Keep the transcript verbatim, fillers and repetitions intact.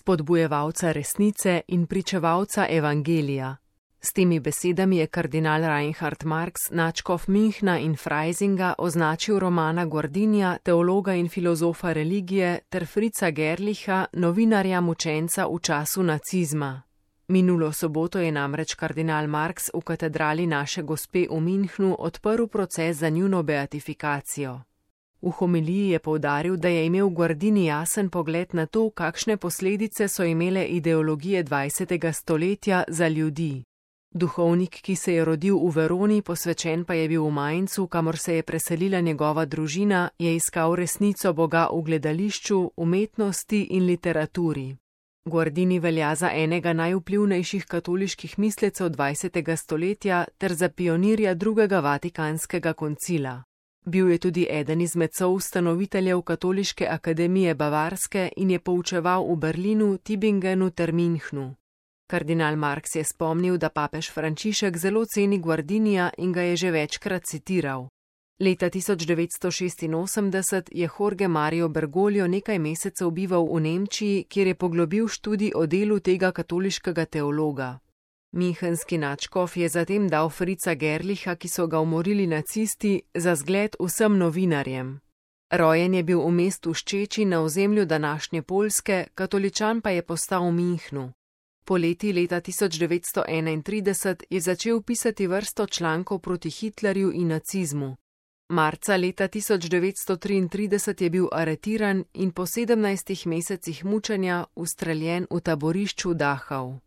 spodbujevalca resnice in pričevalca evangelija. S temi besedami je kardinal Reinhard Marx nadškof Münchna in Freisinga označil Romana Guardinija, teologa in filozofa religije, ter Fritza Gerlicha, novinarja mučenca v času nacizma. Minulo soboto je namreč kardinal Marx v katedrali Naše Gospe v Münchnu odprl proces za njuno beatifikacijo. V homiliji je poudaril, da je imel Guardini jasen pogled na to, kakšne posledice so imele ideologije dvajsetega stoletja za ljudi. Duhovnik, ki se je rodil v Veroni, posvečen pa je bil v Mainzu, kamor se je preselila njegova družina, je iskal resnico Boga v gledališču, umetnosti in literaturi. Guardini velja za enega najvplivnejših katoliških mislecev dvajsetega stoletja ter za pionirja drugega vatikanskega koncila. Bil je tudi eden izmed soustanoviteljev Katoliške akademije Bavarske in je poučeval v Berlinu, Tübingenu ter Münchnu. Kardinal Marx je spomnil, da papež Frančišek zelo ceni Guardinija in ga je že večkrat citiral. Leta tisoč devetsto šestinosemdeset je Jorge Mario Bergoglio nekaj mesecev bival v Nemčiji, kjer je poglobil študij o delu tega katoliškega teologa. Münchenski nadškof je zatem dal Fritza Gerlicha, ki so ga umorili nacisti, za zgled vsem novinarjem. Rojen je bil v mestu Ščeči na ozemlju današnje Poljske, katoličan pa je postal v Münchnu. Poleti leta tisoč devetsto enaintrideset je začel pisati vrsto člankov proti Hitlerju in nacizmu. Marca leta tisoč devetsto triintrideset je bil aretiran in po sedemnajstih mesecih mučenja ustreljen v taborišču Dachau.